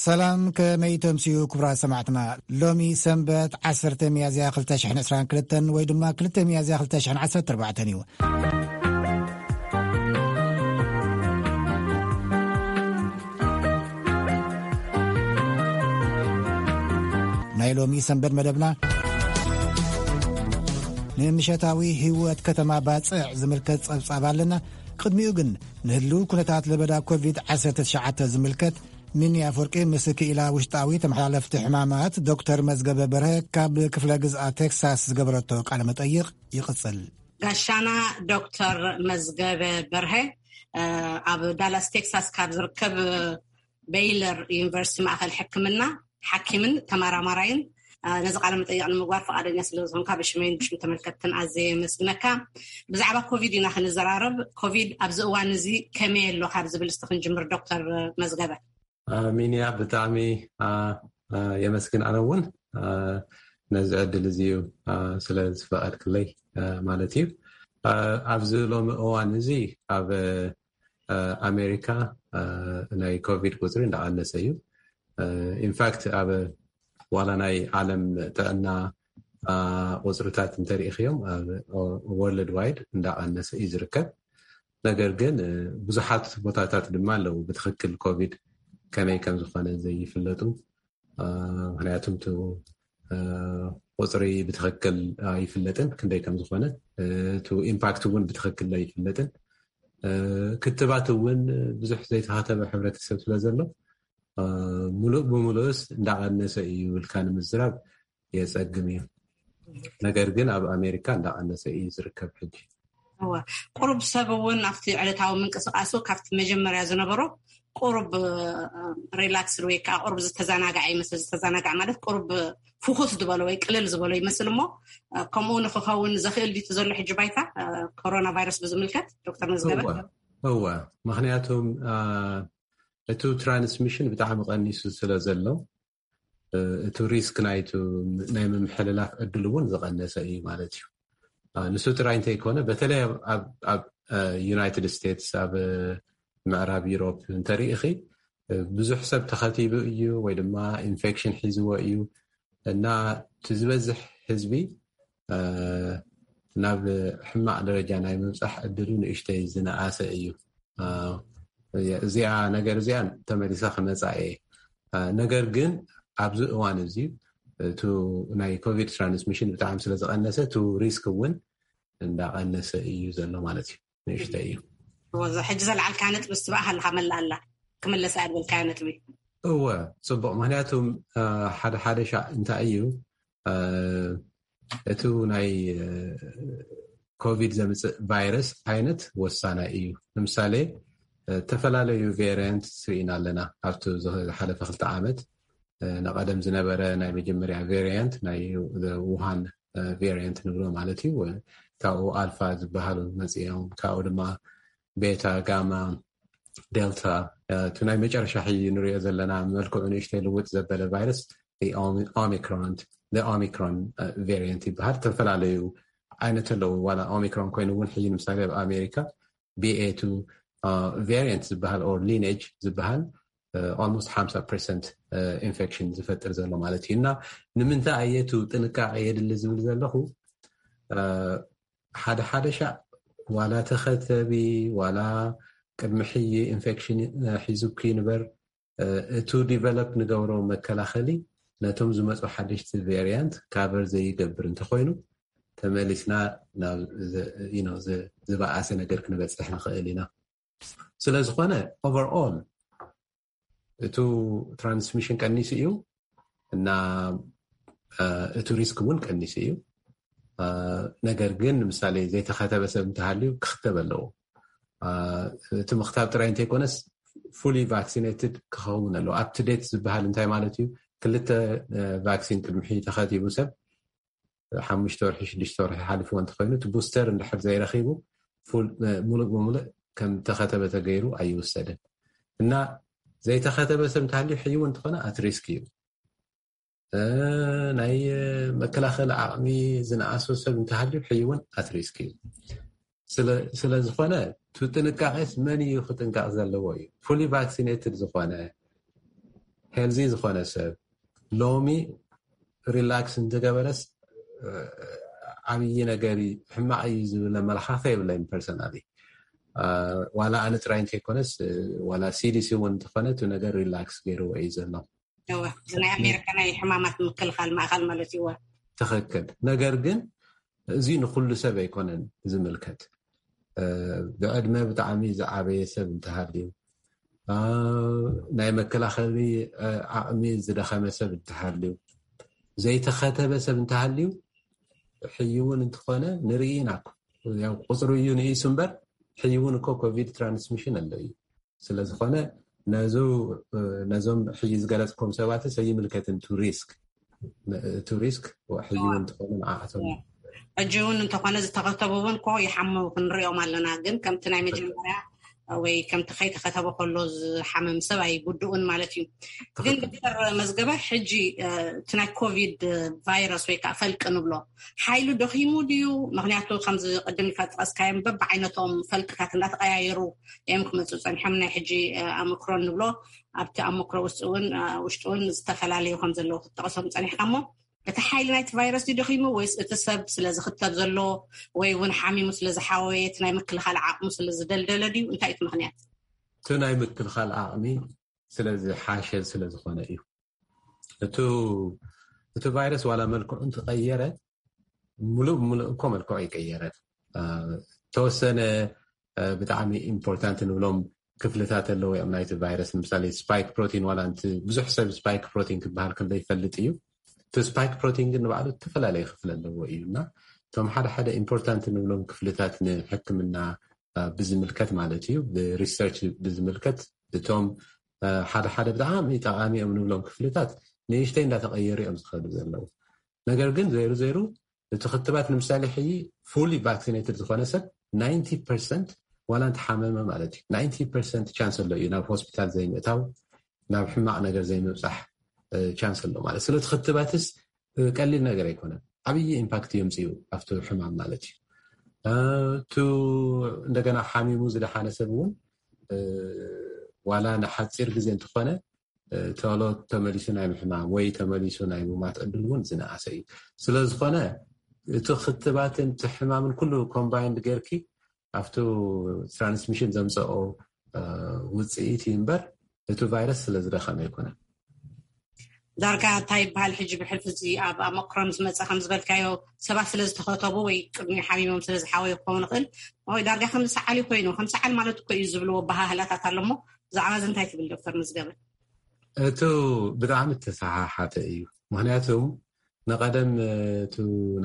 ሰላም፣ ከመይ ተምስዩ ክቡራት ሰማዕትና? ሎሚ ሰንበት ዓሰርተ ሚያዝያ ክልተ ሽሕን ዕስራን ክልተን ወይ ድማ ክልተ ሚያዝያ ክልተ ሽሕን ዓሰርተ ኣርባዕተን እዩ። ናይ ሎሚ ሰንበት መደብና ንምሸታዊ ህይወት ከተማ ባጽዕ ዝምልከት ጸብጻብ ኣለና። ቅድሚኡ ግን ንህልው ኩነታት ለበዳ ኮቪድ ዓሰርተ ትሽዓተ ዝምልከት ሚኒ ኣፈወርቂ ምስ ክኢላ ውሽጣዊ ተመሓላለፍቲ ሕማማት ዶክተር መዝገበ በርሀ ካብ ክፍለ ግዝኣት ቴክሳስ ዝገበረቶ ቃለ መጠይቕ ይቕጽል። ጋሻና ዶክተር መዝገበ በርሀ፣ እ፣ ኣብ ዳላስ ቴክሳስ ካብ ዝርከብ ቤይለር ዩኒቨርሲቲ ማእከል ሕክምና ሓኪምን ተመራማራይን፣ እ፣ ነዚ ቃለ መጠይቕ ንምግባር ፈቓደኛ ስለ ዝኾንካ ብሽመይን ብሽም ተመልከትትን ኣዝየ የመስግነካ። ብዛዕባ ኮቪድ ኢና ክንዘራረብ። ኮቪድ ኣብዚ እዋን እዚ ከመይ ኣሎ ካብ ዝብል እስቲ ክንጅምር ዶክተር መዝገበ። አ፣ ሚንያ፣ ብጣዕሚ፣ አ፣ አ፣ የመስግን። ኣነ እውን፣ አ፣ ነዚ ዕድል እዚ እዩ፣ አ፣ ስለ ዝፈቐድክለይ፣ አ፣ ማለት እዩ። አ፣ ኣብዚ ሎሚ እዋን እዚ ኣብ፣ አ፣ ኣሜሪካ፣ አ፣ ናይ ኮቪድ ቁፅሪ እንዳቐነሰ እዩ። አ፣ ኢንፋክት ኣብ ዋላ ናይ ዓለም ጥዕና፣ አ፣ ቁፅርታት እንተሪኢኽዮም ኣብ ወርልድ ዋይድ እንዳቐነሰ እዩ ዝርከብ። ነገር ግን፣ እ፣ ብዙሓት ቦታታት ድማ ኣለዉ ብትኽክል ኮቪድ ከመይ ከም ዝኾነ ዘይፍለጡ። እ፣ ምኽንያቱም እቲ፣ እ፣ ቁፅሪ ብትኽክል ኣይፍለጥን ክንደይ ከም ዝኾነ፣ እ፣ እቲ ኢምፓክት እውን ብትኽክል ኣይፍለጥን። እ፣ ክትባት እውን ብዙሕ ዘይተኸተበ ሕብረተሰብ ስለ ዘሎ፣ እ፣ ሙሉእ ብሙሉእስ እንዳቐነሰ እዩ ኢልካ ንምዝራብ የጸግም እዩ። ነገር ግን ኣብ ኣሜሪካ እንዳቐነሰ እዩ ዝርከብ ሕጂ። እወ፣ ቁሩብ ሰብ እውን ኣብቲ ዕለታዊ ምንቅስቃሱ ካብቲ መጀመርያ ዝነበሮ ቁሩብ፣ እ፣ ሪላክስድ ወይ ከዓ ቁሩብ ዝተዘናግዐ ይመስል። ዝተዘናግዐ ማለት ቁሩብ ፍኹስ ዝበሎ ወይ ቅልል ዝበሎ ይመስል እሞ፣ እ፣ ከምኡ ንክኸውን ዘኽእል ድዩ እቲ ዘሎ ሕጂ ባይታ፣ እ፣ ኮሮና ቫይረስ ብዝምልከት ዶክተር መዝገበ? እወ፣ እወ። ምኽንያቱም፣ እ፣ እቲ ትራንስሚሽን ብጣዕሚ ቀኒሱ ስለ ዘሎ፣ እ፣ እቲ ሪስክ ናይቱ ናይ ምምሕልላፍ ዕድል እውን ዝቐነሰ እዩ ማለት እዩ። እ፣ ንሱ ጥራይ እንተይኮነ፣ በተለይ ኣብ፣ ኣብ፣ ኣብ፣ እ፣ ዩናይትድ ስቴትስ፣ ኣብ፣ እ፣ ምዕራብ ዩሮፕ እንተሪኢኺ፣ እ፣ ብዙሕ ሰብ ተኸቲቡ እዩ ወይ ድማ ኢንፌክሽን ሒዝዎ እዩ እና እቲ ዝበዝሕ ህዝቢ፣ እ፣ ናብ ሕማቕ ደረጃ ናይ ምብጻሕ ዕድሉ ንእሽተይ ዝነኣሰ እዩ። እ፣ እዚኣ ነገር እዚኣ ተመሊሳ ክመጻ እየ። እ፣ ነገር ግን ኣብዚ እዋን እዚ እቱ ናይ ኮቪድ ትራንስሚሽን ብጣዕሚ ስለ ዝቐነሰ፣ እቱ ሪስክ እውን እንዳቐነሰ እዩ ዘሎ ማለት እዩ። ንእሽተይ እዩ። እወ፣ እዛ ሕጂ ዘልዓልካያ ነጥቢ እስትባእ ሃለኻ መላእ ኣላ። ክምለስ እያ ዝበልካያ ነጥቢ። እወ፣ ጽቡቕ። ምኽንያቱም፣ እ፣ ሓደ ሓደ ሻዕ እንታይ እዩ፣ እ፣ እቲ ናይ፣ እ፣ ኮቪድ ዘምጽእ ቫይረስ ዓይነት ወሳናይ እዩ። ንምሳሌ፣ እ፣ ዝተፈላለዩ ቬሪያንት ርኢና ኣለና። ኣብቲ ዝሓለፈ ክልተ ዓመት፣ እ፣ ንቐደም ዝነበረ ናይ መጀመርያ ቬሪያንት ናይ ውሃን፣ እ፣ ቬሪያንት ንብሎ ማለት እዩ። ካብኡ ኣልፋ ዝበሃሉ መጽኦም፣ ካብኡ ድማ ቤታ፣ ጋማ፣ ዴልታ፣ እ፣ እቲ ናይ መጨረሻ ሕጂ ንሪኦ ዘለና መልክዑ ንእሽተይ ልውጥ ዘበለ ቫይረስ ኦሚ-፣ ኦሚክሮን፣ ኦሚክሮን፣ እ፣ ቬሪያንት ይበሃል። ዝተፈላለዩ ዓይነት ኣለዉ። ዋላ ኦሚክሮን ኮይኑ እውን ሕጂ ንምሳሌ ኣብ ኣሜሪካ ቢ ኤ ቱ፣ እ፣ ቫሪያንት ዝበሃል ኦር ሊኔጅ ዝበሃል፣ እ፣ ኦልሞስት ሓምሳ ፐርሰንት፣ እ፣ ኢንፌክሽን ዝፈጥር ዘሎ ማለት እዩ። እና ንምንታይ ኣየቱ ጥንቃቄ የድሊ ዝብል ዘለኹ፣ እ፣ ሓደ ሓደ ሻዕ ዋላ ተኸተቢ፣ ዋላ ቅድሚ ሕጂ ኢንፌክሽን፣ እ፣ ሒዙኪ ይንበር፣ እ፣ እቱ ዲቨሎፕ ንገብሮ መከላኸሊ ነቶም ዝመፁ ሓደሽቲ ቬሪያንት ካቨር ዘይገብር እንተኾይኑ፣ ተመሊስና ናብ ዝ-፣ you know፣ ዝ-፣ ዝበኣሰ ነገር ክንበፅሕ ንኽእል ኢና። ስለ ዝኾነ፣ ኦቨርኦል፣ እቱ ትራንስሚሽን ቀኒሱ እዩ እና፣ እ፣ እቱ ሪስክ እውን ቀኒሱ እዩ። እ፣ ነገር ግን፣ ንምሳሌ፣ ዘይተኸተበ ሰብ እንተሃልዩ ክኽተብ ኣለዎ። እ፣ እቲ ምኽታብ ጥራይ እንተይኮነስ፣ ፉሊ ቫክሲኔትድ ክኸውን ኣለዎ። ኣፕ ቱ ዴት ዝበሃል እንታይ ማለት እዩ? ክልተ፣ እ፣ ቫክሲን ቅድሚ ሕጂ ተኸቲቡ ሰብ፣ ሓሙሽተ ወርሒ፣ ሽዱሽተ ወርሒ ሓሊፍዎ እንተኾይኑ፣ እቲ ቡስተር እንድሕር ዘይረኺቡ፣ ፉል፣ እ፣ ሙሉእ ብሙሉእ ከም ተኸተበ ተገይሩ ኣይውሰድን። እና ዘይተኸተበ ሰብ እንተሃልዩ፣ ሕይው እንተኾነ፣ ኣት ሪስክ እዩ። እ፣ ናይ መከላኸሊ ዓቕሚ ዝነኣሶ ሰብ እንተሃልዩ፣ ሕይውን ኣት ሪስክ እዩ። ስለ፣ ስለ ዝኾነ፣ እቲ ጥንቃቄስ መን እዩ ክጥንቀቕ ዘለዎ እዩ? ፉሊ ቫክሲኔትድ ዝኾነ፣ ሄልዚ ዝኾነ ሰብ ሎሚ ሪላክስ እንተገበረስ ዓብዪ ነገር ሕማቕ እዩ ዝብል ኣመለኻኽታ የብለይን። ፐርሰናሊ ዋላ ኣነ ጥራይ እንተይኮነስ ዋላ ሲዲሲ እውን እንተኾነ እቲ ነገር ሪላክስ ገይርዎ እዩ ዘሎ። ናይ ኣሜሪካ ናይ ሕማማት ምክልኻል ማእኻል ማለት እዩ። ትኽክል። ነገር ግን እዚ ንኩሉ ሰብ ኣይኮነን ዝምልከት። ብዕድመ ብጣዕሚ ዝዓበየ ሰብ እንተሃልዩ፣ ናይ መከላኸሊ ዓቕሚ ዝደኸመ ሰብ እንተሃልዩ፣ ዘይተኸተበ ሰብ እንተሃልዩ፣ ሕይውን እንተኾነ ንርኢ ኢና። ቁፅሩ እዩ ንኢሱ እምበር ሕይውን እኮ ኮቪድ ትራንስሚሽን ኣሎ እዩ። ስለዝኾነ ነዞም ሕጂ ዝገለፅኩም ሰባት ኣይምልከትን። ቱ ሪስክ ቱ ሪስክ ሕይውን እንተኾነ ንዓኣቶም። ሕጂ እውን እንተኾነ ዝተኸተቡ እውን ኮ ይሓሙ ክንሪኦም ኣለና። ግን ከምቲ ናይ መጀመርያ ወይ ከምቲ ከይተኸተበ ከሎ ዝሓመም ሰብ ኣይጉድኡን ማለት እዩ። ግን ዶክተር መዝገበ፣ ሕጂ እቲ ናይ ኮቪድ ቫይረስ ወይ ከዓ ፈልቂ ንብሎ ሓይሉ ደኺሙ ድዩ? ምክንያቱ ከምዚ ቅድም ኢልካ ዝጠቀስካዮም በብዓይነቶም ፈልቅታት እንዳተቀያየሩ እዮም ክመፁ ፀኒሖም። ናይ ሕጂ ኣምክሮን ንብሎ ኣብቲ ኣምክሮ ውስጥ እውን ውሽጡ እውን ዝተፈላለዩ ከም ዘለዉ ክትጠቀሶም ፀኒሕካ እሞ እቲ ሓይሊ ናይቲ ቫይረስ ድዩ ደኺሙ ወይስ እቲ ሰብ ስለ ዝኽተብ ዘሎ ወይ እውን ሓሚሙ ስለ ዝሓወየ እቲ ናይ ምክልኻል ዓቕሙ ስለ ዝደልደለ ድዩ? እንታይ እቲ ምክንያት? እቲ ናይ ምክልኻል ዓቕሚ ስለ ዝሓሸ ስለ ዝኾነ እዩ። እቱ እቲ ቫይረስ ዋላ መልክዑ እንትቀየረ ሙሉእ ብሙሉእ እኮ መልክዑ ይቀየረ። ተወሰነ ብጣዕሚ ኢምፖርታንት ንብሎም ክፍልታት ኣለዎ እዮም ናይቲ ቫይረስ። ንምሳሌ ስፓይክ ፕሮቲን ዋላ እንቲ ብዙሕ ሰብ ስፓይክ ፕሮቲን ክበሃል ከሎ ይፈልጥ እዩ። እቲ ስፓይክ ፕሮቲን ግን ንባዕሉ ዝተፈላለየ ክፍሊ ኣለዎ እዩ እና እቶም ሓደ ሓደ ኢምፖርታንት ንብሎም ክፍልታት ንሕክምና ብዝምልከት ማለት እዩ፣ ብሪሰርች ብዝምልከት እቶም ሓደ ሓደ ብጣዕሚ ጠቃሚ እዮም ንብሎም ክፍልታት ንእሽተይ እንዳተቀየሩ እዮም ዝኸዱ ዘለዉ። ነገር ግን ዘይሩ ዘይሩ እቲ ክትባት ንምሳሌ ሕጂ ፉሊ ቫክሲኔትድ ዝኾነ ሰብ ናይንቲ ፐርሰንት ዋላ እንተሓመመ ማለት እዩ ናይንቲ ፐርሰንት ቻንስ ኣሎ እዩ ናብ ሆስፒታል ዘይምእታው፣ ናብ ሕማቕ ነገር ዘይምብፃሕ ቻንስ ኣሎ ማለት። ስለዚ ክትባትስ ቀሊል ነገር ኣይኮነን። ዓብዪ ኢምፓክት የምፅኡ ኣብቲ ሕማም ማለት እዩ። እቱ እንደገና ሓሚሙ ዝደሓነ ሰብ እውን ዋላ ንሓፂር ግዜ እንተኾነ ተሎ ተመሊሱ ናይ ምሕማም ወይ ተመሊሱ ናይ ምማት ዕድል እውን ዝነኣሰ እዩ። ስለዝኾነ እቲ ክትባትን እቲ ሕማምን ኩሉ ኮምባይንድ ጌርኪ ኣብቲ ትራንስሚሽን ዘምፀኦ ውፅኢት እዩ እምበር እቲ ቫይረስ ስለ ዝደኸመ ኣይኮነን። ዳርጋ እንታይ ይበሃል ሕጂ ብሕልፊ እዚ ኣብ ኣመክሮን ዝመፀ ከም ዝበልካዮ ሰባት ስለ ዝተኸተቡ ወይ ቅድሚ ሓሚሞም ስለ ዝሓወዩ ክኸውን ይኽእል ወይ ዳርጋ ከም ዝሰዓል ኮይኑ ከም ሰዓል ማለት እኮ እዩ ዝብልዎ ኣበሃህላታት ኣሎ እሞ ብዛዕባ እዚ እንታይ ትብል ዶክተር መዝገበ? እቱ ብጣዕሚ ተሰሓሓተ እዩ። ምክንያቱ ንቀደም እቱ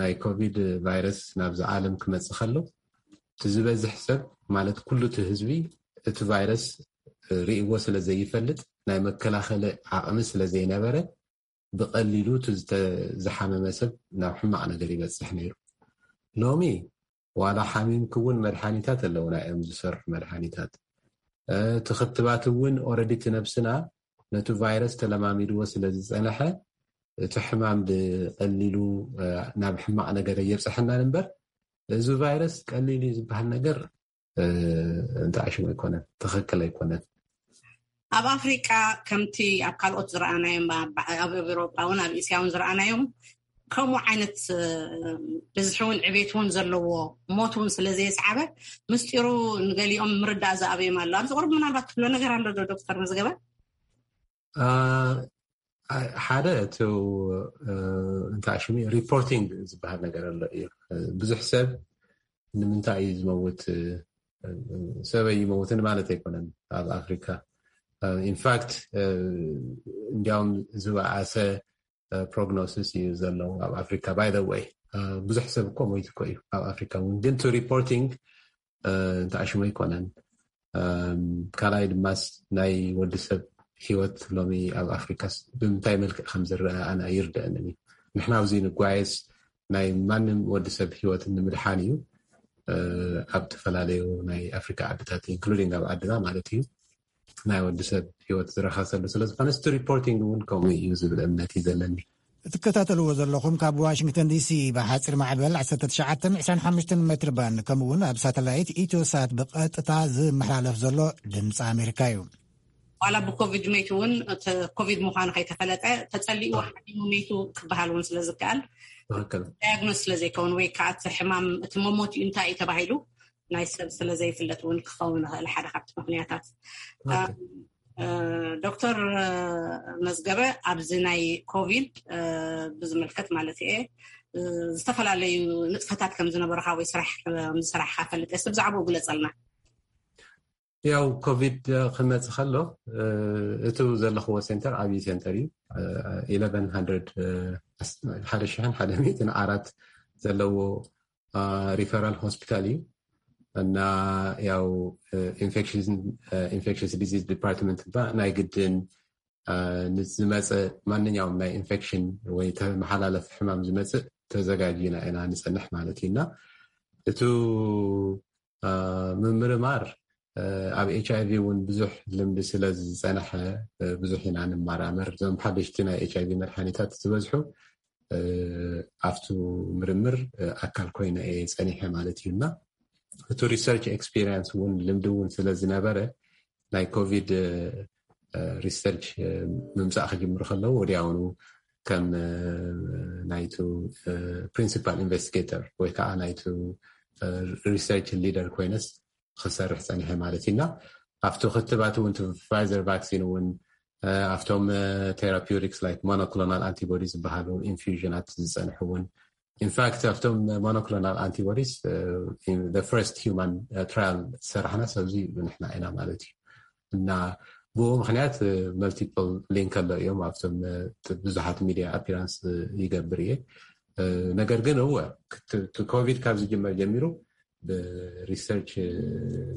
ናይ ኮቪድ ቫይረስ ናብዚ ዓለም ክመፅእ ከሎ እቲ ዝበዝሕ ሰብ ማለት ኩሉ እቲ ህዝቢ እቲ ቫይረስ ርእይዎ ስለ ዘይፈልጥ ናይ መከላኸሊ ዓቕሚ ስለ ዘይነበረ ብቐሊሉ እቲ ዝሓመመ ሰብ ናብ ሕማቕ ነገር ይበፅሕ ነይሩ። ሎሚ ዋላ ሓሚምክ እውን መድሓኒታት ኣለውና እዮም ዝሰርሑ መድሓኒታት። እቲ ክትባት እውን ኦረዲ እቲ ነብስና ነቲ ቫይረስ ተለማሚድዎ ስለ ዝፀንሐ እቲ ሕማም ብቐሊሉ ናብ ሕማቕ ነገር እየብፅሐናን እምበር እዚ ቫይረስ ቀሊል እዩ ዝበሃል ነገር እንተኣሽሙ ኣይኮነን፣ ትኽክል ኣይኮነን። ኣብ ኣፍሪቃ ከምቲ ኣብ ካልኦት ዝረኣናዮም ኣብ ኤውሮጳ እውን ኣብ እስያ እውን ዝረኣናዮም ከምኡ ዓይነት ብዝሒ እውን ዕቤት እውን ዘለዎ ሞት እውን ስለ ዘየስዓበ ምስጢሩ ንገሊኦም ምርዳእ ዝኣበዮም ኣሎ። ኣብዚ ቁርብ ምናልባት ትብሎ ነገር ኣሎ ዶ ዶክተር መዝገበ? ሓደ እቲ እንታይ ሽሙ ሪፖርቲንግ ዝበሃል ነገር ኣሎ እዩ። ብዙሕ ሰብ ንምንታይ እዩ ዝመውት፣ ሰብ ኣይመውትን ማለት ኣይኮነን ኣብ ኣፍሪካ። ኢንፋክት እንዲያውም ዝበኣሰ ፕሮግኖሲስ እዩ ዘሎ ኣብ ኣፍሪካ። ባይ ዘ ወይ ብዙሕ ሰብ እኮ ሞይቱ እኮ እዩ ኣብ ኣፍሪካ እውን፣ ግን ቱ ሪፖርቲንግ እንታይ ሽሙ ኣይኮነን። ካልኣይ ድማስ ናይ ወዲ ሰብ ህይወት ሎሚ ኣብ ኣፍሪካስ ብምንታይ መልክዕ ከም ዝረአ ኣነ ኣይርደአንን እዩ። ንሕና ኣብዚ ንጓየስ ናይ ማንም ወዲ ሰብ ህይወት ንምድሓን እዩ። ኣብ ዝተፈላለዩ ናይ ኣፍሪካ ዓድታት ኢንክሉዲንግ ኣብ ዓድና ማለት እዩ ናይ ወዲ ሰብ ህይወት ዝረኸሰሉ ስለዝኾነ እቲ ሪፖርቲንግ እውን ከምኡ እዩ ዝብል እምነት እዩ ዘለኒ። እትከታተልዎ ዘለኹም ካብ ዋሽንግተን ዲሲ ብሓፂር ማዕበል ዓሰርተ ትሽዓተ ዕስራን ሓሙሽተን ሜትር ባንድ ከምኡ እውን ኣብ ሳተላይት ኢትዮሳት ብቐጥታ ዝመሓላለፍ ዘሎ ድምፂ ኣሜሪካ እዩ። ዋላ ብኮቪድ መይቱ እውን እቲ ኮቪድ ምዃኑ ከይተፈለጠ ተጸሊኡ ሓሚሙ መይቱ ክበሃል እውን ስለ ዝከኣል፣ ትኽክል። ዳያግኖስ ስለ ዘይከውን ወይ ከዓ እቲ ሕማም እቲ መሞት እዩ እንታይ እዩ ተባሂሉ ናይ ሰብ ስለ ዘይፍለጥ እውን ክኸውን ይኽእል ሓደ ካብቲ ምኽንያታት። ዶክተር መዝገበ፣ ኣብዚ ናይ ኮቪድ ብዝምልከት ማለት እየ፣ ዝተፈላለዩ ንጥፈታት ከም ዝነበረካ ወይ ስራሕ ከም ዝሰራሕካ ፈልጥ እየ። ብዛዕባኡ ግለጸልና። ያው ኮቪድ ክመጽእ ከሎ፣ እቱ ዘለኽዎ ሴንተር ዓብዪ ሴንተር እዩ። ኢለቨን ሃንድረድ፣ ሓደ ሽሕን ሓደ ሚእትን ዓራት ዘለዎ ሪፈራል ሆስፒታል እዩ። እና ያው ኢንፌክሽስ ዲዚዝ ዲፓርትመንት ባ ናይ ግድን ንዝመፀ ማንኛውም ናይ ኢንፌክሽን ወይ ተመሓላለፊ ሕማም ዝመፅእ ተዘጋጅና ኢና ንፀንሕ ማለት እዩ። እና እቱ ምምርማር ኣብ ኤች ኣይቪ እውን ብዙሕ ልምዲ ስለ ዝፀንሐ ብዙሕ ኢና ንመራመር። እዞም ሓደሽቲ ናይ ኤች ኣይቪ መድሓኒታት ዝበዝሑ ኣብቱ ምርምር ኣካል ኮይነ እየ ፀኒሐ ማለት እዩ። እና እቱ ሪሰርች ኤክስፒሪንስ እውን ልምዲ እውን ስለ ዝነበረ ናይ ኮቪድ ሪሰርች ምምፃእ ክጅምሩ ከለዉ ወዲያውኑ ከም ናይቱ ፕሪንሲፓል ኢንቨስቲጌተር ወይ ከዓ ናይቱ ሪሰርች ሊደር ኮይነስ ክሰርሕ ፀኒሐ ማለት እዩ። እና ኣብቲ ክትባት እውን ፋይዘር ቫክሲን እውን ኣብቶም ቴራፒውቲክስ ላይክ ሞኖክሎናል ኣንቲቦዲ ዝበሃሉ ኢንፊውዥናት ዝፀንሑ እውን ኢንፋክት ኣብቶም ሞኖክሎናል ኣንቲቦዲስ ፈርስት ሂውማን ትራያል ዝሰራሕና ሰብዚ ንሕና ኢና ማለት እዩ። እና ብኡ ምክንያት መልቲፕል ሊንክ ኣሎ እዮም ኣብቶም ብዙሓት ሚዲያ ኣፒራንስ ይገብር እየ። ነገር ግን እወ ኮቪድ ካብ ዝጅመር ጀሚሩ ብሪሰርች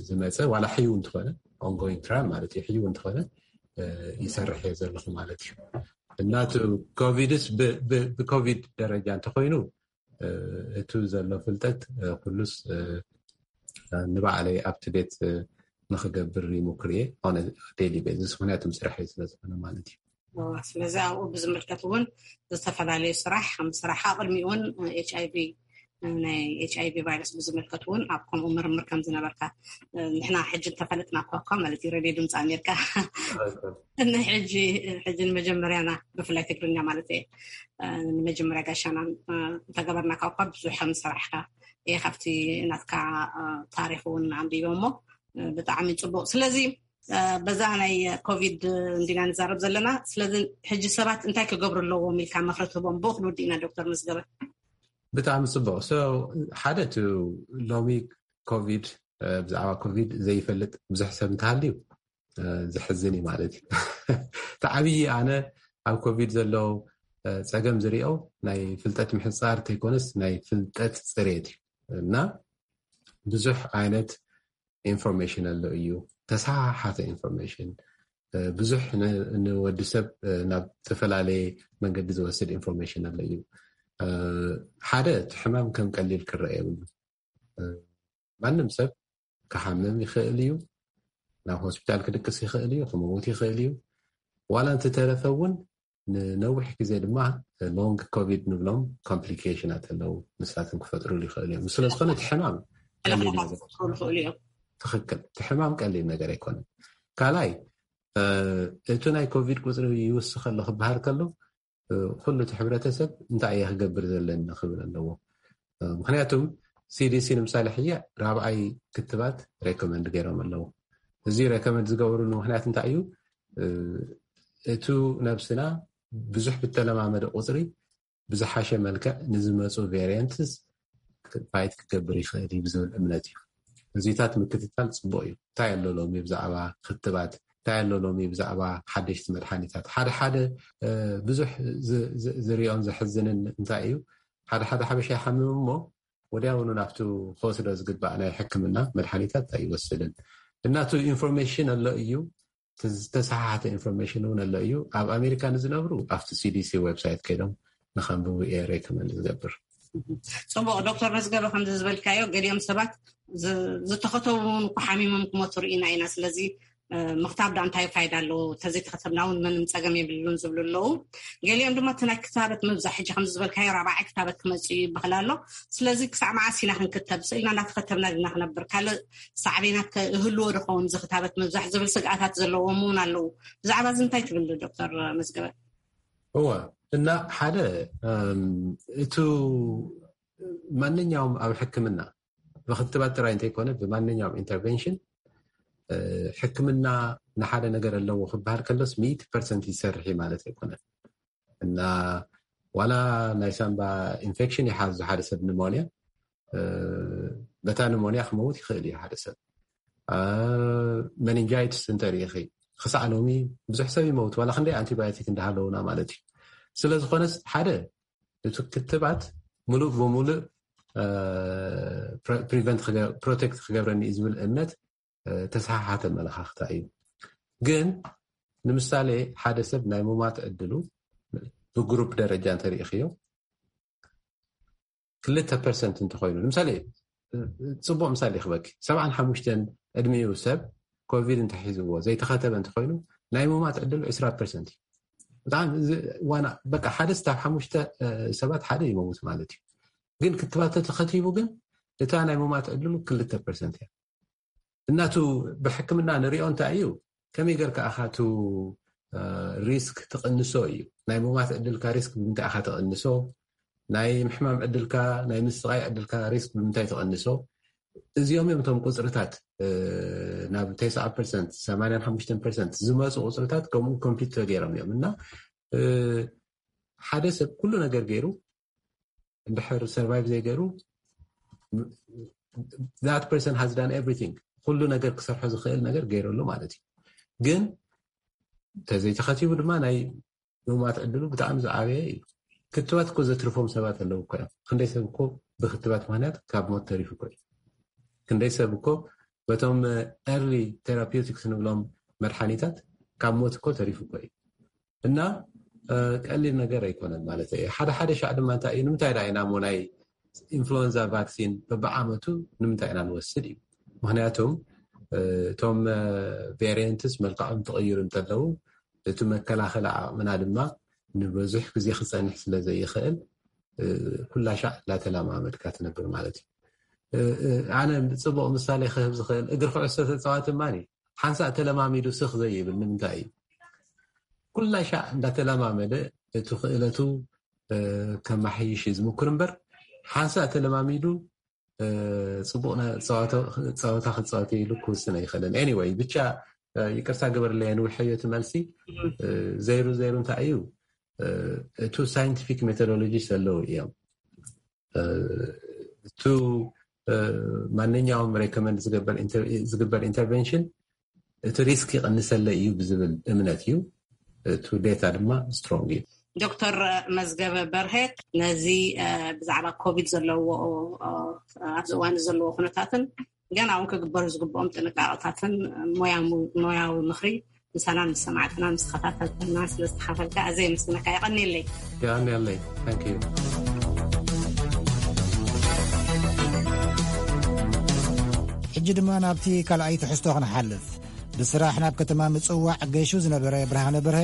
ዝመፀ ዋላ ሕዩ እንትኾነ ኦንጎይንግ ትራያል ማለት እዩ ሕዩ እንትኾነ ይሰርሕ እየ ዘለኹ ማለት እዩ። እና እቲ ኮቪድስ ብኮቪድ ደረጃ እንተኮይኑ እቱ ዘሎ ፍልጠት ኩሉስ ንባዕለይ ኣብትዴት ንክገብር ይሙክር እየ ኦን ዴይሊ ቤዝስ ምክንያቱ ስራሕ ስለ ዝኾነ ማለት እዩ። ስለዚ ኣብኡ ብዝምልከት እውን ዝተፈላለዩ ስራሕ ከም ስራሕ ቅድሚኡ እውን ኤች ኣይቪ ናይ ኤች ኣይቪ ቫይረስ ብዝምልከት እውን ኣብ ከምኡ ምርምር ከም ዝነበርካ ንሕና ሕጂ እንተፈለጥና እኳ ማለት እዩ ሬድዮ ድምፂ ኣሜሪካ ሕጂ ሕጂ ንመጀመርያና ብፍላይ ትግርኛ ማለት እየ ንመጀመርያ ጋሻና እንተገበርናካ እኳ ብዙሕ ከም ዝሰራሕካ እየ ካብቲ ናትካ ታሪክ እውን ኣንቢቦ እሞ ብጣዕሚ ፅቡቅ። ስለዚ በዛ ናይ ኮቪድ እንዲና ንዛረብ ዘለና። ስለዚ ሕጂ ሰባት እንታይ ክገብሩ ኣለዎም ኢልካ ምክሪ ትህቦም? ብኡ ክንውድእ ኢና ዶክተር መዝገበ። ብጣዕሚ ፅቡቅ። ሓደ እቲ ሎሚ ኮቪድ ብዛዕባ ኮቪድ ዘይፈልጥ ብዙሕ ሰብ እንተሃልዩ ዘሕዝን እዩ ማለት እዩ። እቲ ዓብዪ ኣነ ኣብ ኮቪድ ዘሎ ፀገም ዝሪኦ ናይ ፍልጠት ምሕፃር ተይኮነስ ናይ ፍልጠት ፅሬት እዩ። እና ብዙሕ ዓይነት ኢንፎርሜሽን ኣሎ እዩ። ተሰሓሓተ ኢንፎርሜሽን ብዙሕ ንወዲ ሰብ ናብ ዝተፈላለየ መንገዲ ዝወስድ ኢንፎርሜሽን ኣሎ እዩ። ሓደ እቲ ሕማም ከም ቀሊል ክረአ የብሉ። ማንም ሰብ ክሓምም ይኽእል እዩ፣ ናብ ሆስፒታል ክድቅስ ይኽእል እዩ፣ ክመውት ይኽእል እዩ። ዋላ እንትተረፈ እውን ንነዊሕ ግዜ ድማ ሎንግ ኮቪድ ንብሎም ኮምፕሊኬሽናት ኣለዉ፣ ንሳቶም ክፈጥሩሉ ይኽእሉ እዮም። ስለዝኾነ እቲ ሕማም ቀሊል ነገር ክፈጥሩ ይኽእሉ እዮም። ትኽክል፣ እቲ ሕማም ቀሊል ነገር ኣይኮነን። ካልኣይ እቲ ናይ ኮቪድ ቁፅሪ ይውስኽ ኣሎ ክበሃል ከሎ ኩሉ እቲ ሕብረተሰብ እንታይ እየ ክገብር ዘለኒ ክብል ኣለዎ። ምክንያቱም ሲዲሲ ንምሳሌ ሕጂ ራብዓይ ክትባት ሬኮመንድ ገይሮም ኣለዉ። እዚ ሬኮመንድ ዝገብርሉ ምክንያት እንታይ እዩ? እቱ ነብስና ብዙሕ ብተለማመደ ቁፅሪ ብዝሓሸ መልክዕ ንዝመፁ ቬሪየንትስ ፋይት ክገብር ይኽእል እዩ ብዝብል እምነት እዩ። እዚታት ምክትታል ፅቡቅ እዩ። እንታይ ኣሎ ሎሚ ብዛዕባ ክትባት እንታይ ኣሎ ሎሚ ብዛዕባ ሓደሽቲ መድሓኒታት ሓደ ሓደ ብዙሕ ዝሪኦን ዘሕዝንን እንታይ እዩ? ሓደ ሓደ ሓበሻ ይሓምም እሞ ወዲያውኑ ናብቲ ክወስዶ ዝግባእ ናይ ሕክምና መድሓኒታት ኣይወስድን። እናቱ ኢንፎርሜሽን ኣሎ እዩ፣ ዝተሰሓሓተ ኢንፎርሜሽን እውን ኣሎ እዩ። ኣብ ኣሜሪካ ንዝነብሩ ኣብቲ ሲዲሲ ዌብሳይት ከይዶም ንኸንብቡ እየ ሬኮመንድ ዝገብር። ፅቡቅ ዶክተር መዝገበ፣ ከምዚ ዝበልካዮ ገሊኦም ሰባት ዝተኸተቡ እውን እኮ ሓሚሞም ክመቱ ርኢና ኢና። ስለዚ ምክታብ ዳ እንታይ ፋይዳ ኣለዎ? ተዘይተኸተብና እውን ምንም ጸገም የብሉን ዝብሉ ኣለዉ። ገሊኦም ድማ እቲ ናይ ክታበት ምብዛሕ፣ ሕጂ ከምዚ ዝበልካዮ ራብዓይ ክታበት ክመጽእ እዩ ይበሃል ኣሎ። ስለዚ ክሳዕ መዓስ ኢና ክንክተብ? ስኢልና እንዳተኸተብና ድና ክነብር? ካልእ ሳዕቤናት ከ እህልዎ ዶ ኸውን እዚ ክታበት ምብዛሕ ዝብል ስግኣታት ዘለዎም እውን ኣለዉ። ብዛዕባ እዚ እንታይ ትብል ዶክተር መዝገበ? እወ፣ እና ሓደ እቲ ማንኛውም ኣብ ሕክምና ብክትባት ጥራይ እንተይኮነ ብማንኛውም ኢንተርቨንሽን ሕክምና ንሓደ ነገር ኣለዎ ክበሃል ከሎስ ሚእቲ ፐርሰንት ይሰርሕ ማለት ኣይኮነን። እና ዋላ ናይ ሳምባ ኢንፌክሽን ይሓዙ ሓደ ሰብ ኒሞንያ፣ በታ ኒሞንያ ክመውት ይኽእል እዩ ሓደ ሰብ። መኒንጃይትስ እንተሪኢኺ ክሳዕ ሎሚ ብዙሕ ሰብ ይመውት፣ ዋላ ክንደይ ኣንቲባዮቲክ እንዳሃለውና ማለት እዩ። ስለ ዝኾነስ ሓደ እቲ ክትባት ሙሉእ ብሙሉእ ፕሪቨንት ፕሮቴክት ክገብረኒ እዩ ዝብል እምነት ተሰሓሓተ መለኻኽታ እዩ። ግን ንምሳሌ ሓደ ሰብ ናይ ሙማት ዕድሉ ብግሩፕ ደረጃ እንተሪኢኽዮ ክልተ ፐርሰንት እንተኮይኑ፣ ንምሳሌ ፅቡቅ ምሳሌ ክበኪ ሰብዓን ሓሙሽተን ዕድሚኡ ሰብ ኮቪድ እንተሒዝዎ ዘይተኸተበ እንተኮይኑ ናይ ሙማት ዕድሉ ዕስራ ፐርሰንት እዩ። ብጣዕሚ ዋና በቃ ሓደ ስታብ ሓሙሽተ ሰባት ሓደ ይመውት ማለት እዩ። ግን ክትባት ተተኸቲቡ ግን እታ ናይ ሙማት ዕድሉ ክልተ ፐርሰንት እያ። እናቱ ብሕክምና ንሪኦ እንታይ እዩ? ከመይ ገርካ ኣኻቱ ሪስክ ትቕንሶ እዩ። ናይ ሙማት ዕድልካ ሪስክ ብምንታይ ኣኻ ትቕንሶ? ናይ ምሕማም ዕድልካ፣ ናይ ምስቃይ ዕድልካ ሪስክ ብምንታይ ትቕንሶ? እዚኦም እዮም እቶም ቁፅርታት ናብ ተስዓ ፐርሰንት ሰማንያን ሓሙሽተን ፐርሰንት ዝመፁ ቁፅርታት ከምኡ ኮምፒት ተገይሮም እዮም። እና ሓደ ሰብ ኩሉ ነገር ገይሩ እንድሕር ሰርቫይቭ ዘይገይሩ that person has done everything፣ ኩሉ ነገር ክሰርሖ ዝኽእል ነገር ገይረሉ ማለት እዩ። ግን ተዘይተኸቲቡ ድማ ናይ ምማት ዕድሉ ብጣዕሚ ዝዓበየ እዩ። ክትባት እኮ ዘትርፎም ሰባት ኣለዉ እኮ እዮም። ክንደይ ሰብ እኮ ብክትባት ምክንያት ካብ ሞት ተሪፉ እኮ እዩ። ክንደይ ሰብ እኮ በቶም ኤርሊ ቴራፒውቲክስ ንብሎም መድሓኒታት ካብ ሞት እኮ ተሪፉ እኮ እዩ። እና ቀሊል ነገር ኣይኮነን ማለት እዩ። ሓደ ሓደ ሻዕ ድማ እንታይ እዩ፣ ንምንታይ ዳ ኢና ሞ ናይ ኢንፍሉወንዛ ቫክሲን በብዓመቱ ንምንታይ ኢና ንወስድ እዩ? ምክንያቱም እቶም ቬሪየንትስ መልክዖም ትቕይሩ እንተለዉ እቲ መከላኸሊ ዓቕምና ድማ ንብዙሕ ግዜ ክፀንሕ ስለ ዘይኽእል ኩላ ሻዕ እንዳተለማመድካ ትነብር ማለት እዩ። ኣነ ፅቡቕ ምሳሌ ክህብ ዝኽእል እግሪ ኩዕሶ ተፃዋቲ ማን እዩ ሓንሳእ ተለማሚዱ ስኽ ዘይብል ንምንታይ እዩ? ኩላ ሻዕ እንዳተለማመደ እቲ ክእለቱ ከማሓይሽ እዩ ዝምኩር እምበር ሓንሳእ ተለማሚዱ ፅቡቕ ፀወታ ክፃወት ኢሉ ክውስን ኣይኽእልን። Anyway ብቻ ይቅርታ ግበርለይ ንውሕዮ እቲ መልሲ። ዘይሩ ዘይሩ እንታይ እዩ? እቱ ሳይንቲፊክ ሜቶዶሎጂ ዘለዉ እዮም። እቱ ማንኛውም ሬኮመንድ ዝግበር ኢንተርቨንሽን እቲ ሪስክ ይቐንሰለ እዩ ብዝብል እምነት እዩ። እቱ ዴታ ድማ ስትሮንግ እዩ። ዶክተር መዝገበ በርሀ ነዚ ብዛዕባ ኮቪድ ዘለዎ ኣብዚ እዋን ዘለዎ ኩነታትን ገና እውን ክግበሩ ዝግብኦም ጥንቃቄታትን ሞያዊ ምኽሪ ምሳና ምስ ሰማዕትና ምስ ተኸታተልትና ስለ ዝተኻፈልካ ኣዘ የመስግነካ። የቐንየለይ። የቐንየለይ። ሕጂ ድማ ናብቲ ካልኣይ ትሕዝቶ ክንሓልፍ። ብስራሕ ናብ ከተማ ምጽዋዕ ገይሹ ዝነበረ ብርሃነ በርሀ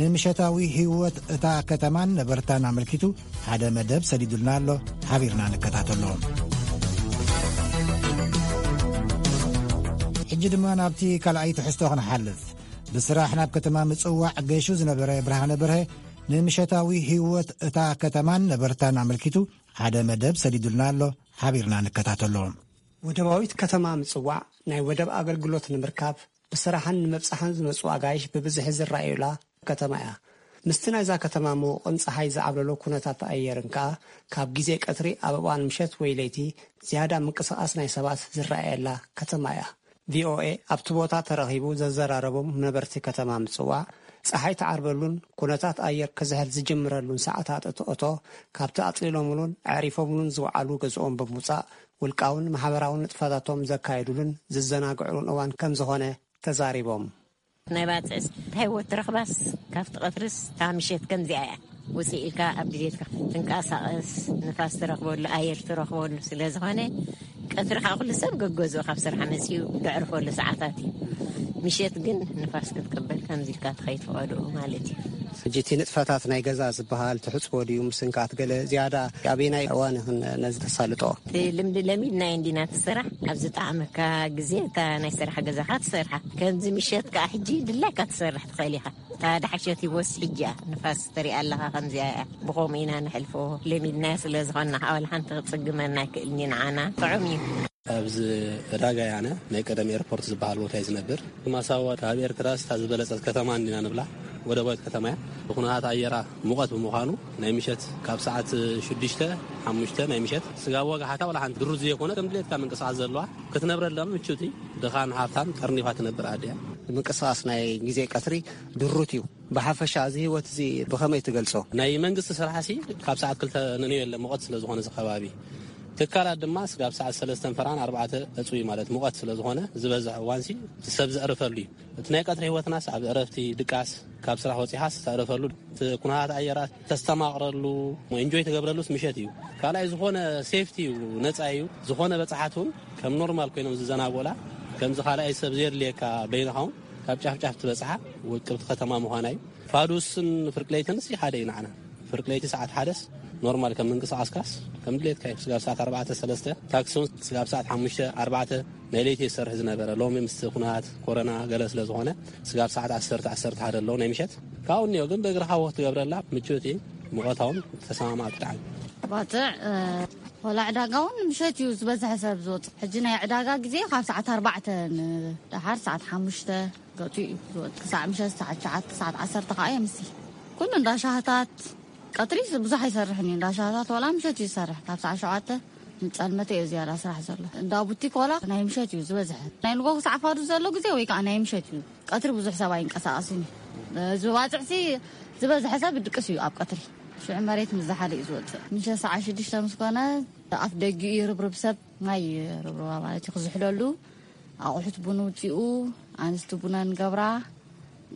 ንምሸታዊ ህይወት እታ ከተማን ነበርታን ኣመልኪቱ ሓደ መደብ ሰዲዱልና ኣሎ። ሓቢርና ንከታተሎ። ሕጂ ድማ ናብቲ ካልኣይ ትሕዝቶ ክንሓልፍ። ብስራሕ ናብ ከተማ ምጽዋዕ ገይሹ ዝነበረ ብርሃነ በርሀ ንምሸታዊ ህይወት እታ ከተማን ነበርታን ኣመልኪቱ ሓደ መደብ ሰዲዱልና ኣሎ። ሓቢርና ንከታተሎ። ወደባዊት ከተማ ምጽዋዕ ናይ ወደብ ኣገልግሎት ንምርካብ ብስራሕን ንምብጻሕን ዝመጹ ኣጋይሽ ብብዝሒ ዝረኣዩላ ከተማ እያ። ምስቲ ናይዛ ከተማ ምውቕን ጸሓይ ዝዓብለሎ ኩነታት ኣየርን ከኣ ካብ ግዜ ቀትሪ ኣብ እዋን ምሸት ወይ ለይቲ ዝያዳ ምንቅስቓስ ናይ ሰባት ዝረኣየላ ከተማ እያ። ቪኦኤ ኣብቲ ቦታ ተረኺቡ ዘዘራረቦም ነበርቲ ከተማ ምጽዋዕ ጸሓይ ትዓርበሉን ኩነታት ኣየር ክዝሕል ዝጅምረሉን ሰዓታት እትእቶ ካብቲ ኣጽሊሎምሉን ኣዕሪፎምሉን ዝውዓሉ ገዝኦም ብምውጻእ ውልቃውን ማሕበራውን ንጥፈታቶም ዘካየዱሉን ዝዘናግዕሉን እዋን ከም ዝኾነ ተዛሪቦም። ናይ ባፅዕስ እንታይ ወት ረኽባስ ካብቲ ቀትርስ እታ ምሸት ከምዚኣ እያ። ውፅእ ኢልካ ኣብ ድሌትካ ትንቀሳቐስ ንፋስ ትረኽበሉ ኣየር ትረኽበሉ ስለ ዝኾነ ቀትሪ ከዓ ኩሉ ሰብ ገገዝኡ ካብ ስራሕ መፅኡ ዘዕርፈሉ ሰዓታት እዩ። ምሸት ግን ንፋስ ክትቅበል ከምዚ ኢልካ ትኸይድ ፈቐድኡ ማለት እዩ። ሕጂ እቲ ንጥፈታት ናይ ገዛ ዝበሃል ትሕፅቦ ድዩ ምስንካት ገለ ዝያዳ ኣበየናይ እዋን ይኽን ነዚ ተሳልጦ? እቲ ልምዲ ለሚድናዮ እንዲና እቲ ስራሕ ኣብ ዝጠዓመካ ግዜ እታ ናይ ስራሕ ገዛኻ ትሰርሓ። ከምዚ ምሸት ከዓ ሕጂ ድላይካ ትሰርሕ ትኽእል ኢኻ። እታ ዳሕሸት ይወስ ሕጂ እያ ንፋስ ትሪኣ ኣለኻ ከምዚኣ እያ። ብኸምኡ ኢና ንሕልፎ። ለሚድናዮ ስለ ዝኾንና ከዓ ዋላ ሓንቲ ክፅግመና ኣይክእልን እዩ ንዓና። ጥዑም እዩ። ኣብዚ ዕዳጋ ያነ ናይ ቀደም ኤርፖርት ዝበሃል ቦታ እዩ ዝነብር። ማሳዋ ካብ ኤርትራ ስታ ዝበለጸት ከተማ እንዲና ንብላ። ወደባዊት ከተማ እያ። ብኩነታት ኣየራ ሙቐት ብምዃኑ ናይ ምሸት ካብ ሰዓት ሽዱሽተ ሓሙሽተ ናይ ምሸት ስጋብ ዋጋ ሓታ ዋላ ሓንቲ ድሩት ዘይኮነ ከም ድሌትካ ምንቅስቃስ ዘለዋ ክትነብረላ ምቹቲ ድኻን ሃብታም ጠርኒፋ ትነብር ኣድያ። ምንቅስቃስ ናይ ግዜ ቀትሪ ድሩት እዩ። ብሓፈሻ እዚ ህይወት እዚ ብኸመይ ትገልጾ? ናይ መንግስቲ ስራሕ ሲ ካብ ሰዓት ክልተ ንንዮ የለ ሙቐት ስለ ዝኾነ እዚ ከባቢ ትካላት ድማ ስጋብ ሰዓት ሰለስተን ፈራን ኣርባዕተ ዕጹይ ማለት ሙቐት ስለ ዝኾነ ዝበዝሕ እዋንሲ ሰብ ዘዕርፈሉ እዩ። እቲ ናይ ቀትሪ ህይወትናስ ኣብ ዕረፍቲ ድቃስ ካብ ስራሕ ወጺኻስ ተዕርፈሉ እቲ ኩነታት ኣየራት ተስተማቕረሉ ኢንጆይ ትገብረሉስ ምሸት እዩ። ካልኣይ ዝኾነ ሴፍቲ እዩ፣ ነጻ እዩ። ዝኾነ በጻሓት እውን ከም ኖርማል ኮይኖም ዝዘናጎላ ከምዚ ካልኣይ ሰብ ዘየድልየካ በይንኻ እውን ካብ ጫፍ ጫፍ ትበጽሓ ውቅብቲ ከተማ ምዃና እዩ። ፋዱስን ፍርቅለይትን ሲ ሓደ እዩ ንዓና። ፍርቅለይቲ ሰዓት ሓደስ ኖርማል ከም ምንቅስቃስካስ ከም ድሌትካ እዩ። ስጋብ ሰዓት ኣርባዕተ ሰለስተ ታክሲ እውን ስጋብ ሰዓት ሓሙሽተ ኣርባዕተ ናይ ለይቲ ይሰርሕ ዝነበረ ሎሚ ምስ ኩነታት ኮረና ገለ ስለ ዝኾነ ስጋብ ሰዓት ዓሰርተ ዓሰርተ ሓደ ኣለዉ ናይ ምሸት ካብኡ እኒኦ ግን ብእግርኻ ወክ ትገብረላ ምችውቲ ሙቐታውን ተሰማማዕቲ ብጣዕሚ። ባፅዕ ወላ ዕዳጋ እውን ምሸት እዩ ዝበዝሐ ሰብ ዝወፅእ። ሕጂ ናይ ዕዳጋ ግዜ ካብ ሰዓት ኣርባዕተ ንደሓር ሰዓት ሓሙሽተ ገፂ እዩ ዝወፅእ። ክሳዕ ምሸት ሰዓት ትሽዓተ ሰዓት ዓሰርተ ከዓ የምሲ። ኩሉ እንዳ ሻህታት ቀትሪ ብዙሕ ኣይሰርሕን እዩ። እንዳ ሻህታት ዋላ ምሸት እዩ ዝሰርሕ። ካብ ሰዓት ሸውዓተ ንፀልመተ እዩ ዝያዳ ስራሕ ዘሎ። እንዳ ቡቲክ ዋላ ናይ ምሸት እዩ ዝበዝሐ። ናይ ንጎ ክሳዕ ፋዱ ዘሎ ግዜ ወይ ከዓ ናይ ምሸት እዩ። ቀትሪ ብዙሕ ሰብ ኣይንቀሳቐስን እዩ። ዝበባፅዕሲ ዝበዝሐ ሰብ ድቅስ እዩ ኣብ ቀትሪ። ሽዑ መሬት ምስ ዝሓለ እዩ ዝወፅእ። ምሸት ሰዓት ሽዱሽተ ምስ ኮነ ኣፍ ደጊኡ ይርብርብ ሰብ፣ ማይ ይርብርባ ማለት እዩ ክዝሕለሉ። ኣቑሑት ቡን ውፂኡ፣ ኣንስቲ ቡነን ገብራ።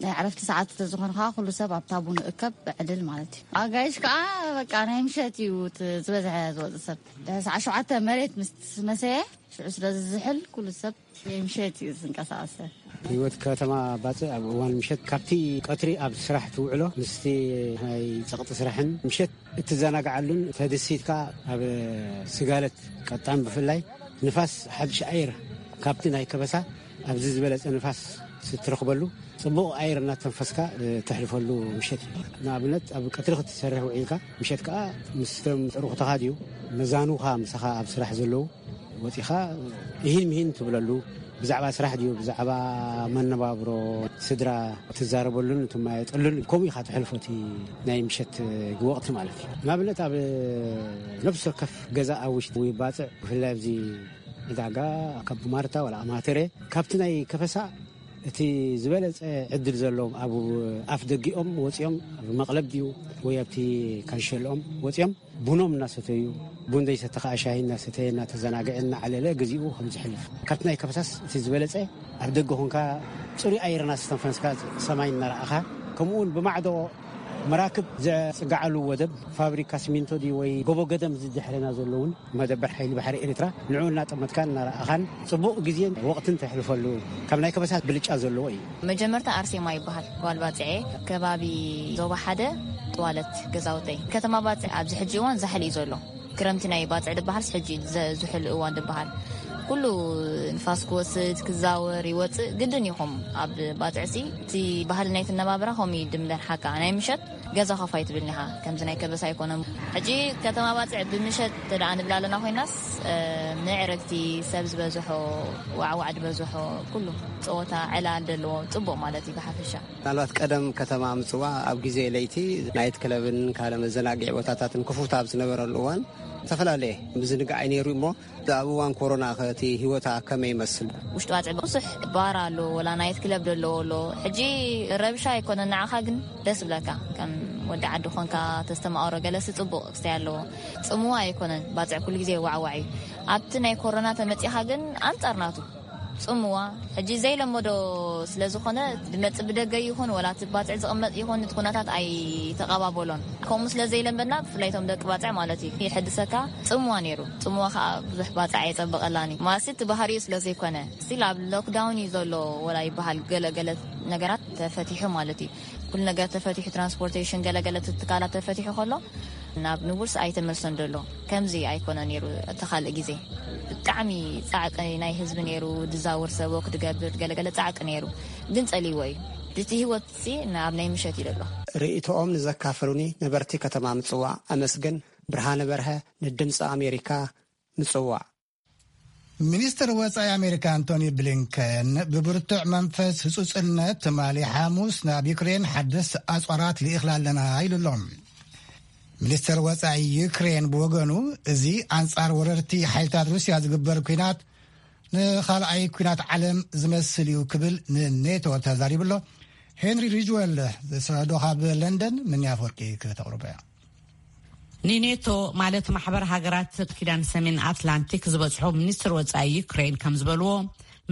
ናይ ዕረፍቲ ሰዓት እንተዝኾነ ከዓ ኩሉ ሰብ ኣብታ ቡን እከብ ዕልል ማለት እዩ። ኣጋይሽ ከዓ በቃ ናይ ምሸት እዩ እቲ ዝበዝሐ ዝወፅእ ሰብ። ድሕሪ ሰዓት ሸውዓተ መሬት ምስ መሰየ ሽዑ ስለ ዝዝሕል ኩሉ ሰብ ናይ ምሸት እዩ ዝንቀሳቐሰ። ህይወት ከተማ ባፅዕ ኣብ እዋን ምሸት ካብቲ ቀትሪ ኣብ ስራሕ ትውዕሎ ምስቲ ናይ ፀቕጢ ስራሕን ምሸት እትዘናግዓሉን ተደሲትካ ኣብ ስጋለት ቀጣን ብፍላይ ንፋስ ሓድሽ ኣየር ካብቲ ናይ ከበሳ ኣብዚ ዝበለፀ ንፋስ ስትረኽበሉ ፅቡቕ ኣየር እናተንፈስካ ተሕልፈሉ ምሸት እዩ። ንኣብነት ኣብ ቀትሪ ክትሰርሕ ውዒልካ ምሸት ከዓ ምስቶም ጥሩኽትኻ ድዩ መዛኑኻ ምሳኻ ኣብ ስራሕ ዘለዉ ወፂኻ ይህን ምሂን ትብለሉ ብዛዕባ ስራሕ ድዩ ብዛዕባ መነባብሮ ስድራ ትዛረበሉን ትማየጠሉን ከምኡ ኢኻ ትሕልፎ እቲ ናይ ምሸት ወቕቲ ማለት እዩ። ንኣብነት ኣብ ነፍሲ ወከፍ ገዛ ኣብ ውሽጢ ወይ ባፅዕ ብፍላይ ኣብዚ ዕዳጋ ካብ ማርታ ወላ ኣማተረ ካብቲ ናይ ከፈሳ እቲ ዝበለፀ ዕድል ዘለዎም ኣብ ኣፍ ደጊኦም ወፂኦም ኣብ መቕለብ ድዩ ወይ ኣብቲ ካንሸልኦም ወፂኦም ቡኖም እናሰተዩ ቡን ዘይሰተ ከዓ ሻሂ እናሰተየ እናተዘናግዐ እናዓለለ ግዚኡ ከም ዝሕልፍ ካብቲ ናይ ከፈሳስ እቲ ዝበለፀ ኣብ ደገ ኮንካ ፅሩይ ኣየር እናስተንፈስካ ሰማይ እናረኣኻ ከምኡ እውን ብማዕዶ መራክብ ዘፅግዓሉ ወደብ ፋብሪካ ሲሚንቶ ድዩ ወይ ጎቦ ገደም ዝድሕረና ዘለውን መደበር ሓይሊ ባሕሪ ኤርትራ ንዑ እናጠመትካን እናረኣኻን ፅቡቕ ግዜን ወቕትን ተሕልፈሉ ካብ ናይ ከበሳት ብልጫ ዘለዎ እዩ። መጀመርታ ኣርሴማ ይበሃል ጓል ባፅዐ ከባቢ ዞባ ሓደ ጥዋለት ገዛውተይ ከተማ ባፅዕ ኣብዚ ሕጂ እዋን ዛሕሊ እዩ ዘሎ። ክረምቲ ናይ ባፅዕ ዝበሃል ሕጂ ዝሕል እዋን ዝበሃል ኩሉ ንፋስ ክወስድ ክዛወር ይወፅእ ግድን ይኹም ኣብ ባፅዕሲ እቲ ባህሊ ናይ ትነባብራ ከም ይድምደን ሓቃ ናይ ምሸት ገዛ ኸፋይ ትብልኒ ኢኻ ከምዚ ናይ ከበሳ ኣይኮነን። ሕጂ ከተማ ባፅዕ ብምሸት ተደኣ ንብላ ኣለና ኮይናስ ምዕርግቲ ሰብ ዝበዝሖ ዋዕዋዕ ዝበዝሖ ኩሉ ፀወታ ዕላል ዘለዎ ፅቡቕ ማለት እዩ ብሓፈሻ። ምናልባት ቀደም ከተማ ምፅዋ ኣብ ግዜ ለይቲ ናይት ክለብን ካልእ መዘናግዒ ቦታታትን ክፉት ኣብ ዝነበረሉ እዋን ዝተፈላለየ ምዝንጋዕ እዩ ነይሩ እሞ ኣብ እዋን ኮሮና ከ እቲ ህይወታ ከመይ ይመስል? ውሽጢ ባፅዕ ብዙሕ ባር ኣሎ ወላ ናይት ክለብ ዘለዎ ኣሎ። ሕጂ ረብሻ ኣይኮነን ንዓኻ ግን ደስ ብለካ ከም ወዲ ዓዲ ኮንካ ተስተማቕሮ ገለሲ ፅቡቕ ክስተይ ኣለዎ። ፅምዋ ኣይኮነን ባፅዕ ኩሉ ግዜ ዋዕዋዕ እዩ። ኣብቲ ናይ ኮሮና ተመፂኻ ግን ኣንፃር ናቱ ጽምዋ ሕጂ ዘይለመዶ ስለ ዝኾነ፣ ዝመጽእ ብደገ ይኹን ወላ እቲ ባጽዕ ዝቕመጥ ይኹን፣ እቲ ኩነታት ኣይተቐባበሎን። ከምኡ ስለ ዘይለመድና፣ ብፍላይ እቶም ደቂ ባጽዕ ማለት እዩ፣ የሐድሰካ። ጽምዋ ነይሩ። ጽምዋ ከዓ ብዙሕ ባጽዕ ኣየጸበቐላን እዩ። ማለት እቲ ባህሪኡ ስለ ዘይኮነ፣ ስቲል ኣብ ሎክዳውን እዩ ዘሎ ወላ ይበሃል። ገለ ገለ ነገራት ተፈቲሑ ማለት እዩ። ኩሉ ነገር ተፈቲሑ፣ ትራንስፖርቴሽን፣ ገለ ገለ ትካላት ተፈቲሑ ከሎ፣ ናብ ንቡርስ ኣይተመልሰን ዘሎ። ከምዚ ኣይኮነ ነይሩ። እቲ ካልእ ግዜ ብጣዕሚ ጻዕቂ ናይ ህዝቢ ነይሩ። ድዛውር ሰብ ወክ ድገብር ገለገለ ጻዕቂ ነይሩ፣ ግን ጸልይዎ እዩ። እቲ ህይወት ሲ ናብ ናይ ምሸት እዩ ዘሎ። ርእይቶኦም ንዘካፈሉኒ ነበርቲ ከተማ ምጽዋዕ ኣመስግን። ብርሃነ በርሀ፣ ንድምፂ ኣሜሪካ፣ ምጽዋዕ። ሚኒስትር ወጻኢ ኣሜሪካ ኣንቶኒ ብሊንከን ብብርቱዕ መንፈስ ህጹጽነት ትማሊ ሓሙስ ናብ ዩክሬን ሓደስቲ ኣጽዋራት ልኢኽላ ኣለና ኢሉ ኣሎ። ሚኒስትር ወጻኢ ዩክሬን ብወገኑ፣ እዚ ኣንጻር ወረርቲ ሓይልታት ሩስያ ዝግበር ኲናት ንኻልኣይ ኲናት ዓለም ዝመስል እዩ ክብል ንኔቶ ተዛሪቡ ኣሎ። ሄንሪ ሪጅወል ዝሰዶ ካብ ለንደን፣ ምንያ ኣፈወርቂ ከተቕርቦ እያ። ንኔቶ ማለት ማሕበር ሃገራት ኪዳን ሰሜን ኣትላንቲክ ዝበጽሑ ሚኒስትር ወጻኢ ዩክሬን ከም ዝበልዎ፣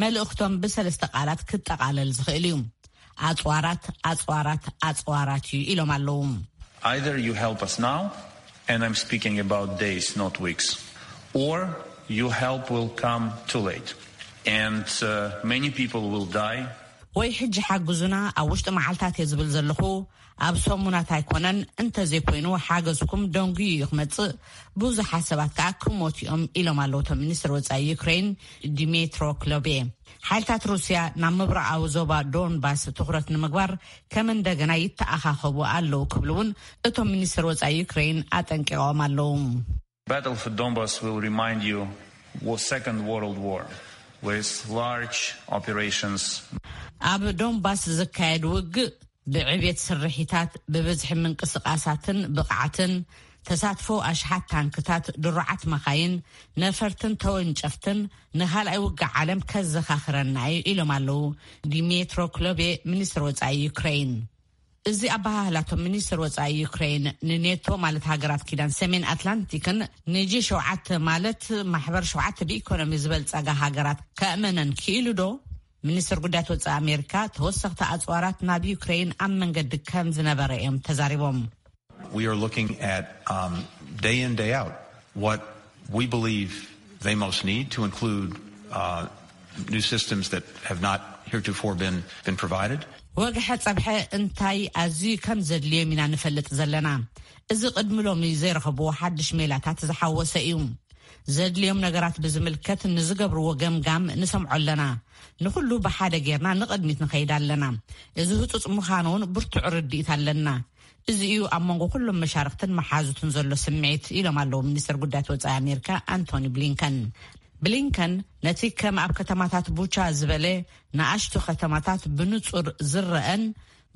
መልእኽቶም ብሰለስተ ቃላት ክጠቓለል ዝኽእል እዩ። ኣጽዋራት፣ ኣጽዋራት፣ ኣጽዋራት እዩ ኢሎም ኣለዉ። Either you help us now, and I'm speaking about days, not weeks, or your help will come too late, and uh, many people will die. ወይ ሕጂ ሓግዙና፣ ኣብ ውሽጢ መዓልታት እየ ዝብል ዘለኹ፣ ኣብ ሰሙናት ኣይኮነን፣ እንተዘይኮይኑ ሓገዝኩም ደንጉዩ እዩ ክመጽእ፣ ብዙሓት ሰባት ከኣ ክሞቱ እዮም ኢሎም ኣለዉ እቶም ሚኒስትር ወጻኢ ዩክሬን ዲሜትሮ ክሎቤ። ሓይልታት ሩስያ ናብ ምብራቓዊ ዞባ ዶንባስ ትኹረት ንምግባር ከም እንደገና ይተኣኻኸቡ ኣለዉ ክብሉ እውን እቶም ሚኒስትር ወጻኢ ዩክሬን ኣጠንቂቖም ኣለዉ። Battle for Donbass will remind you was Second World War with large operations. ኣብ ዶንባስ ዝካየድ ውግእ ብዕቤት ስርሒታት፣ ብብዝሒ ምንቅስቓሳትን ብቕዓትን፣ ተሳትፎ ኣሽሓት ታንክታት፣ ድሩዓት መኻይን፣ ነፈርትን ተወንጨፍትን ንኻልኣይ ውግእ ዓለም ከዘኻኽረና እዩ ኢሎም ኣለዉ ዲሜትሮ ክሎቤ፣ ሚኒስትር ወጻኢ ዩክሬን። እዚ ኣበሃህላቶም ሚኒስትር ወጻኢ ዩክሬን ንኔቶ ማለት ሃገራት ኪዳን ሰሜን ኣትላንቲክን ንጂ ሸውዓተ ማለት ማሕበር ሸውዓተ ብኢኮኖሚ ዝበልጸጋ ሃገራት ከእመነን ክኢሉ ዶ? ሚኒስትር ጉዳያት ወጻኢ ኣሜሪካ ተወሰኽቲ ኣጽዋራት ናብ ዩክሬን ኣብ መንገዲ ከም ዝነበረ እዮም ተዛሪቦም። We are looking at um, day in, day out, what we believe they most need to include uh, new systems that have not heretofore been, been provided. ወግሐ ጸብሐ እንታይ ኣዝዩ ከም ዘድልዮም ኢና ንፈልጥ ዘለና። እዚ ቅድሚ ሎሚ ዘይረኸብዎ ሓድሽ ሜላታት ዝሓወሰ እዩ። ዘድልዮም ነገራት ብዝምልከት ንዝገብርዎ ገምጋም ንሰምዖ ኣለና። ንኹሉ ብሓደ ጌርና ንቕድሚት ንኸይድ ኣለና። እዚ ህጹጽ ምዃኑ እውን ብርቱዕ ርድኢት ኣለና። እዚ እዩ ኣብ መንጎ ኩሎም መሻርክትን መሓዙትን ዘሎ ስምዒት ኢሎም ኣለዉ ሚኒስትር ጉዳያት ወጻኢ ኣሜሪካ ኣንቶኒ ብሊንከን። ብሊንከን ነቲ ከም ኣብ ከተማታት ቡቻ ዝበለ ንኣሽቱ ከተማታት ብንጹር ዝረአን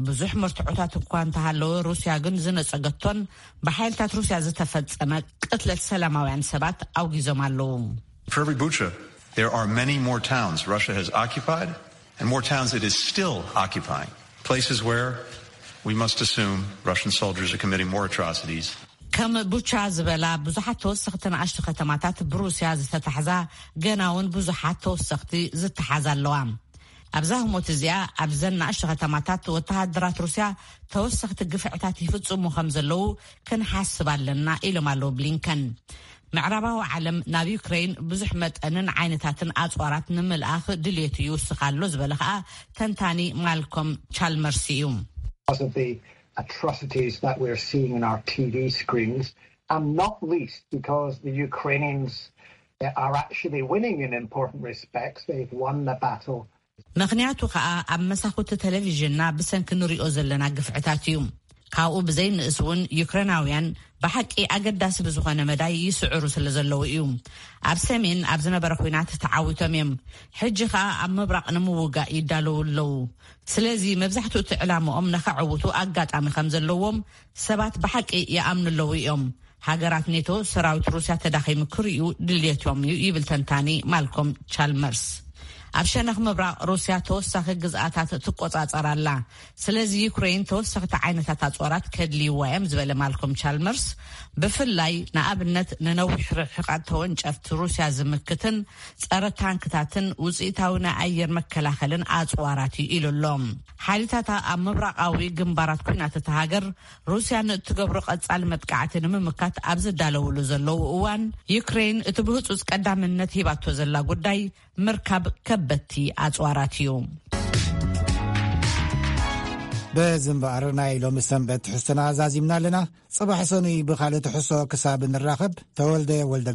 ብዙሕ መርትዖታት እኳ እንተሃለወ፣ ሩስያ ግን ዝነጸገቶን ብሓይልታት ሩስያ ዝተፈጸመ ቅትለት ሰላማውያን ሰባት ኣውጊዞም ኣለዉ። For every Bucha, there are many more towns Russia has occupied and more towns it is still occupying. Places where we must assume Russian soldiers are committing more atrocities. ከም ቡቻ ዝበላ ብዙሓት ተወሰኽቲ ንኣሽቱ ከተማታት ብሩስያ ዝተታሕዛ፣ ገና እውን ብዙሓት ተወሰኽቲ ዝተሓዛ ኣለዋ። ኣብዛ ህሞት እዚኣ ኣብዘን ንኣሽቱ ከተማታት ወተሃደራት ሩስያ ተወሰኽቲ ግፍዕታት ይፍጽሙ ከም ዘለዉ ክንሓስብ ኣለና ኢሎም ኣለዉ ብሊንከን። ምዕራባዊ ዓለም ናብ ዩክሬን ብዙሕ መጠንን ዓይነታትን ኣጽዋራት ንምልኣኽ ድልየቱ ይውስኽ ኣሎ ዝበለ ከኣ ተንታኒ ማልኮም ቻልመርስ እዩ። Because of the atrocities that we're seeing on our T V screens, and not least because the Ukrainians uh, are actually winning in important respects. They've won the battle. ምኽንያቱ ከኣ ኣብ መሳኹቲ ቴሌቪዥንና ብሰንኪ ንሪኦ ዘለና ግፍዕታት እዩ። ካብኡ ብዘይንእስ እውን ዩክሬናውያን ብሓቂ ኣገዳሲ ብዝኾነ መዳይ ይስዕሩ ስለ ዘለዉ እዩ። ኣብ ሰሜን ኣብ ዝነበረ ኲናት ተዓዊቶም እዮም። ሕጂ ከኣ ኣብ ምብራቕ ንምውጋእ ይዳለዉ ኣለዉ። ስለዚ መብዛሕትኡ እቲ ዕላምኦም ነኸዕውቱ ኣጋጣሚ ከም ዘለዎም ሰባት ብሓቂ ይኣምኑ ኣለዉ እዮም። ሃገራት ኔቶ ሰራዊት ሩስያ ተዳኺሙ ክርእዩ ድልየቶም እዩ ይብል ተንታኒ ማልኮም ቻልመርስ። ኣብ ሸነኽ ምብራቕ ሩስያ ተወሳኺ ግዝኣታት ትቆጻጸር ኣላ። ስለዚ ዩክሬን ተወሰኽቲ ዓይነታት ኣጽዋራት ከድልይዋ እዮም ዝበለ ማልኮም ቻልመርስ፣ ብፍላይ ንኣብነት ንነዊሕ ርሕቀት ተወንጨፍቲ ሩስያ ዝምክትን ጸረ ታንክታትን ውጽኢታዊ ናይ ኣየር መከላኸልን ኣጽዋራት እዩ ኢሉ ኣሎ። ሓይልታታ ኣብ ምብራቓዊ ግንባራት ኲናት እታ ሃገር ሩስያ ንእትገብሮ ቀጻሊ መጥቃዕቲ ንምምካት ኣብ ዝዳለውሉ ዘለዉ እዋን፣ ዩክሬን እቲ ብህጹጽ ቀዳምነት ሂባቶ ዘላ ጉዳይ ምርካብ ከበድቲ ኣጽዋራት እዩ። በዚ እምበኣር ናይ ሎሚ ሰንበት ትሕዝቶና ኣዛዚምና ኣለና። ጽባሕ ሰኑይ ብኻልእ ትሕዝቶ ክሳብ ንራኸብ፣ ተወልደ ወልደ